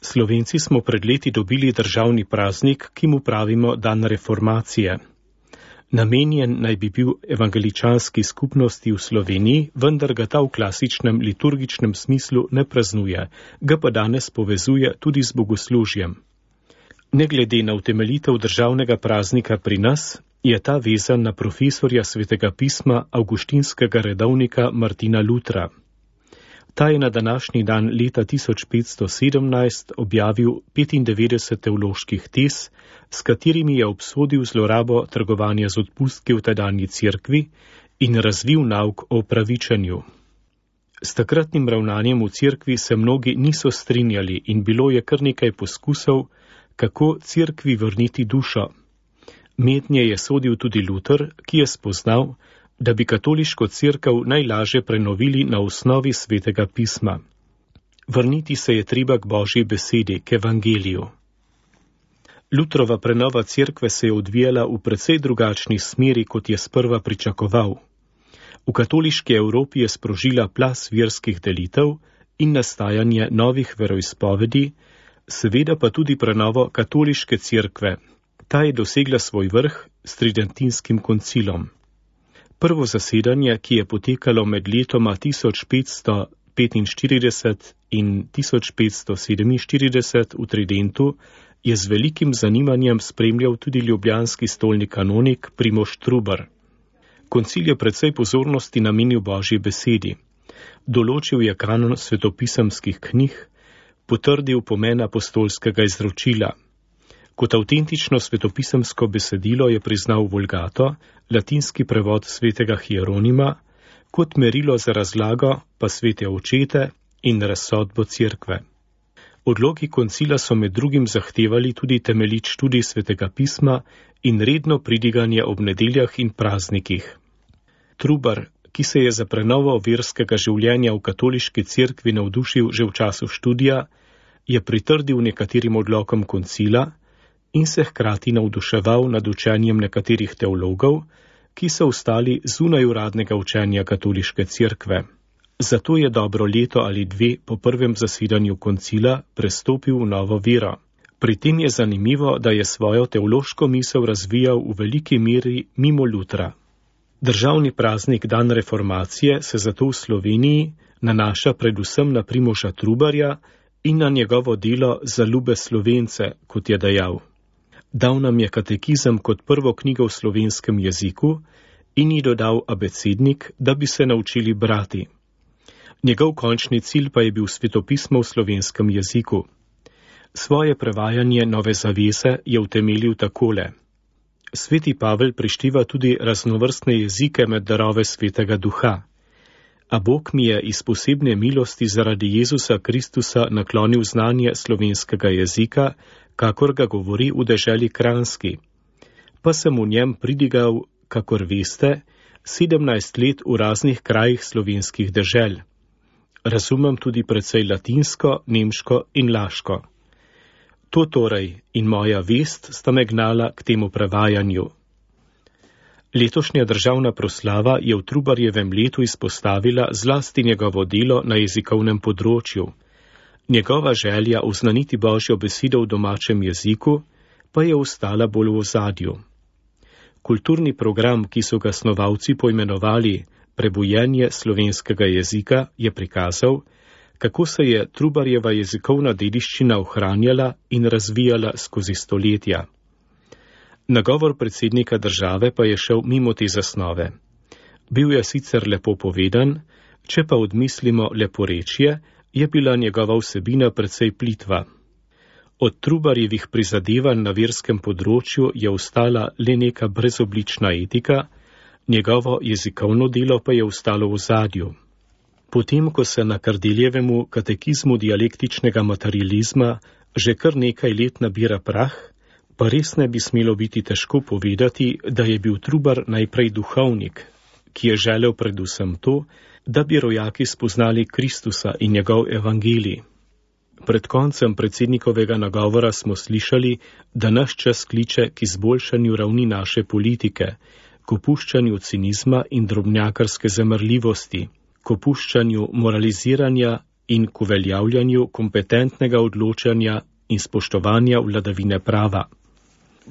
Slovenci smo pred leti dobili državni praznik, ki mu pravimo Dan reformacije. Namenjen naj bi bil evangeličanski skupnosti v Sloveniji, vendar ga ta v klasičnem liturgičnem smislu ne praznuje, ga pa danes povezuje tudi z bogoslužjem. Ne glede na utemeljitev državnega praznika pri nas, je ta vezan na profesorja svetega pisma avguštinskega redovnika Martina Lutra. Ta je na današnji dan leta 1517 objavil 95 teoloških tez, s katerimi je obsodil zlorabo trgovanja z odpustki v tedanji cerkvi in razvil nauk o opravičenju. S takratnim ravnanjem v cerkvi se mnogi niso strinjali in bilo je kar nekaj poskusov, kako cerkvi vrniti dušo. Mednje je sodil tudi Luter, ki je spoznal, da bi katoliško cerkev najlažje prenovili na osnovi svetega pisma. Vrniti se je treba k Božji besedi, k evangeliju. Lutrova prenova cerkve se je odvijala v precej drugačni smeri, kot je sprva pričakoval. V katoliški Evropi je sprožila plaz verskih delitev in nastajanje novih veroizpovedi, seveda pa tudi prenovo katoliške cerkve. Ta je dosegla svoj vrh s tridentinskim koncilom. Prvo zasedanje, ki je potekalo med letoma 1545 in 1547 v Tridentu, je z velikim zanimanjem spremljal tudi ljubljanski stolni kanonik Primož Trubar. Koncil je precej pozornosti namenil Božji besedi. Določil je kanon svetopisemskih knjig, potrdil pomen apostolskega izročila. Kot avtentično svetopisemsko besedilo je priznal Vulgato, latinski prevod svetega Hieronima, kot merilo za razlago pa svete očete in razsodbo cerkve. Odloki koncila so med drugim zahtevali tudi temeljit študij svetega pisma in redno pridiganje ob nedeljah in praznikih. Trubar, ki se je za prenovo verskega življenja v katoliški cerkvi navdušil že v času študija, je pritrdil nekaterim odlokom koncila in se hkrati navduševal nad učenjem nekaterih teologov, ki so ostali zunaj uradnega učenja katoliške cerkve. Zato je dobro leto ali dve po prvem zasedanju koncila prestopil v novo vero. Pri tem je zanimivo, da je svojo teološko misel razvijal v veliki meri mimo Lutra. Državni praznik Dan reformacije se zato v Sloveniji nanaša predvsem na Primoža Trubarja in na njegovo delo Za ljube Slovence, kot je dejal. Dal nam je katekizem kot prvo knjigo v slovenskem jeziku in ji dodal abecednik, da bi se naučili brati. Njegov končni cilj pa je bil svetopismo v slovenskem jeziku. Svoje prevajanje Nove zavese je utemeljil takole. Sveti Pavel prištiva tudi raznovrstne jezike med darove svetega duha. A Bog mi je iz posebne milosti zaradi Jezusa Kristusa naklonil znanje slovenskega jezika, kakor ga govori v deželi Kranjski. Pa sem v njem pridigal, kakor veste, 17 let v raznih krajih slovenskih dežel. Razumem tudi precej latinsko, nemško in laško. To torej in moja vest sta me gnala k temu prevajanju. Letošnja državna proslava je v Trubarjevem letu izpostavila zlasti njegovo delo na jezikovnem področju. Njegova želja oznaniti Božjo besedo v domačem jeziku pa je ostala bolj v ozadju. Kulturni program, ki so ga snovalci poimenovali Prebujenje slovenskega jezika, je prikazal, kako se je Trubarjeva jezikovna dediščina ohranjala in razvijala skozi stoletja. Nagovor predsednika države pa je šel mimo te zasnove. Bil je sicer lepo povedan, če pa odmislimo leporečje, je bila njegova vsebina precej plitva. Od Trubarjevih prizadevanj na verskem področju je ostala le neka brezoblična etika, njegovo jezikovno delo pa je ostalo v zadju. Potem, ko se na Kardeljevemu katekizmu dialektičnega materializma že kar nekaj let nabira prah, pa res ne bi smelo biti težko povedati, da je bil Trubar najprej duhovnik, ki je želel predvsem to, da bi rojaki spoznali Kristusa in njegov evangelij. Pred koncem predsednikovega nagovora smo slišali, da naš čas kliče k izboljšanju ravni naše politike, k opuščanju cinizma in drobnjakarske zamrljivosti, k opuščanju moraliziranja in k uveljavljanju kompetentnega odločanja in spoštovanja vladavine prava.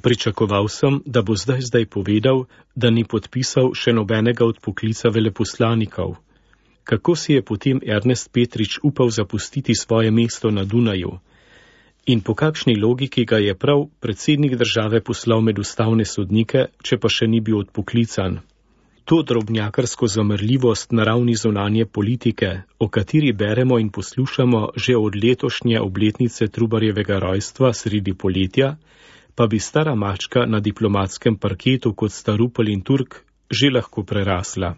Pričakoval sem, da bo zdaj povedal, da ni podpisal še nobenega odpoklica veleposlanikov. Kako si je potem Ernest Petrič upal zapustiti svoje mesto na Dunaju? In po kakšni logiki ga je prav predsednik države poslal med ustavne sodnike, če pa še ni bil odpoklican? To drobnjakarsko zamrljivost na ravni zunanje politike, o kateri beremo in poslušamo že od letošnje obletnice Trubarjevega rojstva sredi poletja, pa bi stara mačka na diplomatskem parketu kot sta Rupel in Turk že lahko prerasla.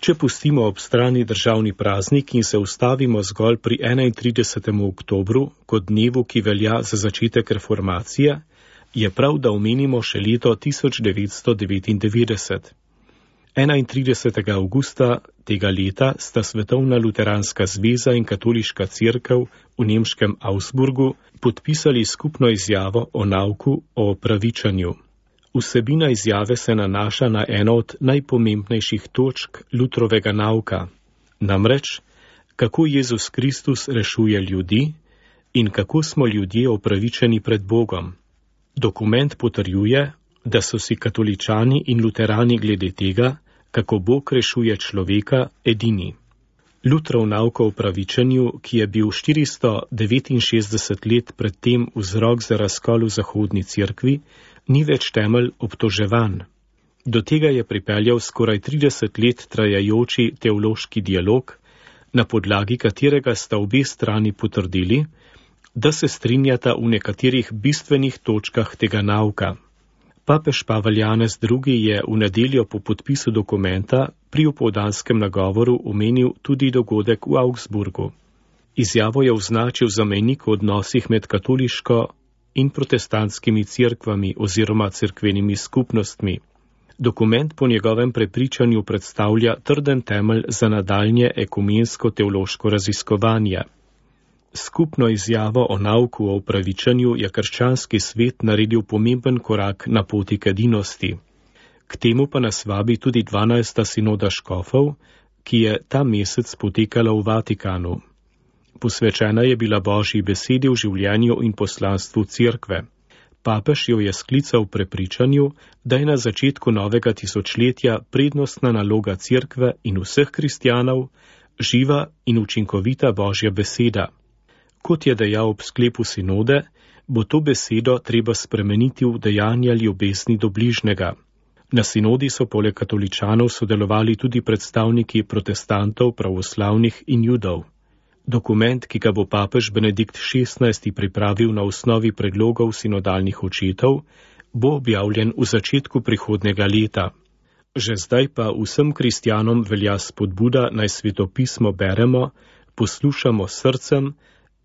Če pustimo ob strani državni praznik in se ustavimo zgolj pri 31. oktobru kot dnevu, ki velja za začetek reformacije, je prav, da omenimo še leto 1999. 31. avgusta tega leta sta Svetovna luteranska zveza in Katoliška cerkev v nemškem Augsburgu podpisali skupno izjavo o nauku o opravičanju. Vsebina izjave se nanaša na eno od najpomembnejših točk Lutrovega nauka, namreč, kako Jezus Kristus rešuje ljudi in kako smo ljudje opravičeni pred Bogom. Dokument potrjuje, da so si katoličani in luterani glede tega, kako Bog rešuje človeka, edini. Lutrov nauk o opravičenju, ki je bil 469 let predtem vzrok za razkol v zahodni cerkvi, ni več temelj obtoževanj. Do tega je pripeljal skoraj 30 let trajajoči teološki dialog, na podlagi katerega sta obe strani potrdili, da se strinjata v nekaterih bistvenih točkah tega nauka. Papež Pavel Janez II. Je v nedeljo po podpisu dokumenta pri opoldanskem nagovoru omenil tudi dogodek v Augsburgu. Izjavo je označil za mejnik v odnosih med katoliško in protestantskimi cerkvami oziroma cerkvenimi skupnostmi. Dokument po njegovem prepričanju predstavlja trden temelj za nadaljnje ekumensko teološko raziskovanje. Skupno izjavo o nauku o opravičenju je krščanski svet naredil pomemben korak na poti k edinosti. K temu pa nas vabi tudi 12. sinoda škofov, ki je ta mesec potekala v Vatikanu. Posvečena je bila Božji besedi v življenju in poslanstvu cerkve. Papež jo je sklical v prepričanju, da je na začetku novega tisočletja prednostna naloga cerkve in vseh kristjanov živa in učinkovita Božja beseda. Kot je dejal ob sklepu sinode, bo to besedo treba spremeniti v dejanja ljubezni do bližnjega. Na sinodi so poleg katoličanov sodelovali tudi predstavniki protestantov, pravoslavnih in judov. Dokument, ki ga bo papež Benedikt XVI. Pripravil na osnovi predlogov sinodalnih očetov, bo objavljen v začetku prihodnega leta. Že zdaj pa vsem kristjanom velja spodbuda, naj svetopismo beremo, poslušamo s srcem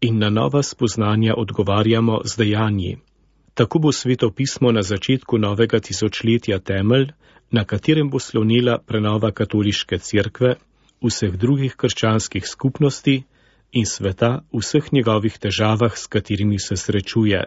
in na nova spoznanja odgovarjamo z dejanji. Tako bo svetopismo na začetku novega tisočletja temelj, na katerem bo slonila prenova katoliške cerkve, vseh drugih krščanskih skupnosti in sveta v vseh njegovih težavah, s katerimi se srečuje.